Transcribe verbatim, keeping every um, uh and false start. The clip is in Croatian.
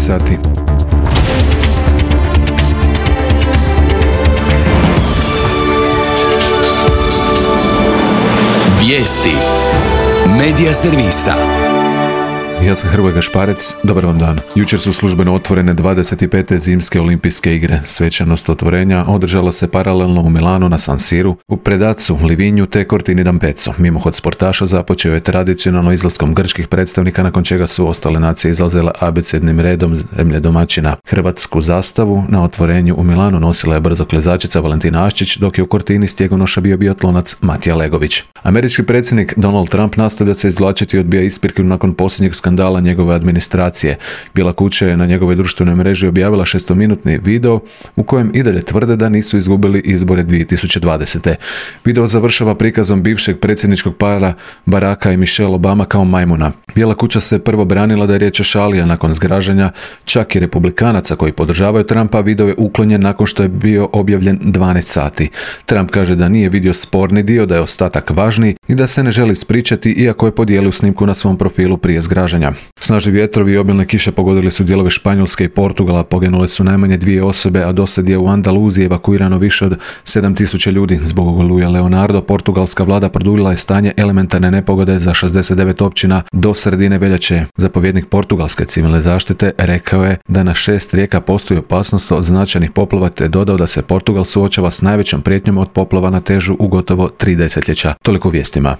sati. Vijesti Medija servisa. Ja sam Hrvoje Gašparec, dobar vam dan. Jučer su službeno otvorene dvadeset pete zimske olimpijske igre. Svečanost otvorenja održala se paralelno u Milanu na San Siru, u Predacu, Livinju te Cortini d'Ampezzo. Mimohod sportaša započeo je tradicionalno izlaskom grčkih predstavnika, nakon čega su ostale nacije izlazile abecednim redom zemlje domaćina. Hrvatsku zastavu na otvorenju u Milanu nosila je brzoklezačica Valentina Aščić, dok je u Cortini stjegonoša bio biatlonac Matija Legović. Američki predsjednik Donald Trump nastavlja se izvlačiti i odbija ispriku nakon posljednjeg skandala njegove administracije. Bijela kuća je na njegovoj društvenoj mreži objavila šestominutni video u kojem i dalje tvrde da nisu izgubili izbore dvije tisuće dvadesete. Video završava prikazom bivšeg predsjedničkog para Baracka i Michelle Obama kao majmuna. Bijela kuća se prvo branila da je riječ o šali, a nakon zgražanja čak i republikanaca koji podržavaju Trumpa, video je uklonjen nakon što je bio objavljen dvanaest sati. Trump kaže da nije vidio sporni dio, da je ostatak važniji i da se ne želi ispričati, iako je podijelio snimku na svom profilu prije zgražanja. Snažni vjetrovi i obilne kiše pogodili su dijelove Španjolske i Portugala, poginule su najmanje dvije osobe, a dosad je u Andaluziji evakuirano više od sedam tisuća ljudi. Zbog oluje Leonardo, portugalska vlada produljila je stanje elementarne nepogode za šezdeset devet općina do sredine veljače. Zapovjednik portugalske civilne zaštite rekao je da na šest rijeka postoji opasnost od značajnih poplava, te dodao da se Portugal suočava s najvećom prijetnjom od poplava na težu u gotovo tri desetljeća. Toliko u vijestima.